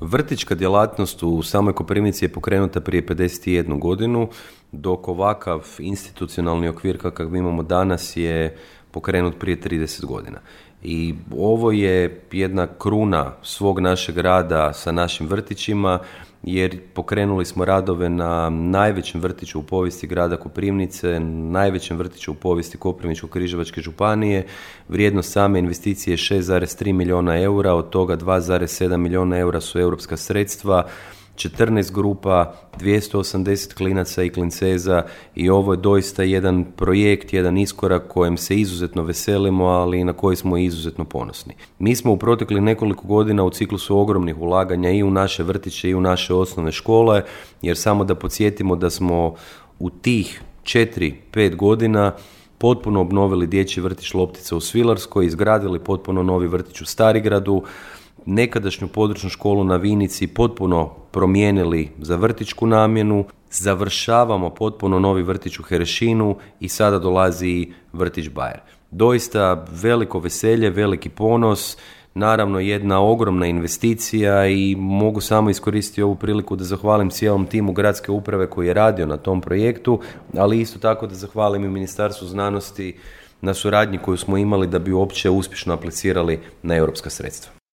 Vrtićka djelatnost u samoj Koprivnici je pokrenuta prije 51 godinu, dok ovakav institucionalni okvir kakav imamo danas je pokrenut prije 30 godina. I ovo je jedna kruna svog našeg rada sa našim vrtićima, jer pokrenuli smo radove na najvećem vrtiću u povijesti grada Koprivnice, najvećem vrtiću u povijesti Koprivničko-križevačke županije. Vrijednost same investicije je 6,3 milijuna eura, od toga 2,7 milijuna eura su europska sredstva, 14 grupa, 280 klinaca i klinceza i ovo je doista jedan projekt, jedan iskorak kojem se izuzetno veselimo, ali i na koji smo izuzetno ponosni. Mi smo u proteklih nekoliko godina u ciklusu ogromnih ulaganja i u naše vrtiće i u naše osnovne škole, jer samo da podsjetimo da smo u tih 4-5 godina potpuno obnovili dječji vrtić Loptica u Svilarskoj, izgradili potpuno novi vrtić u Starigradu, nekadašnju područnu školu na Vinici potpuno promijenili za vrtićku namjenu, završavamo potpuno novi vrtić u Herešinu i sada dolazi vrtić Bajer. Doista veliko veselje, veliki ponos, naravno jedna ogromna investicija i mogu samo iskoristiti ovu priliku da zahvalim cijelom timu gradske uprave koji je radio na tom projektu, ali isto tako da zahvalim i Ministarstvu znanosti na suradnji koju smo imali da bi uopće uspješno aplicirali na europska sredstva.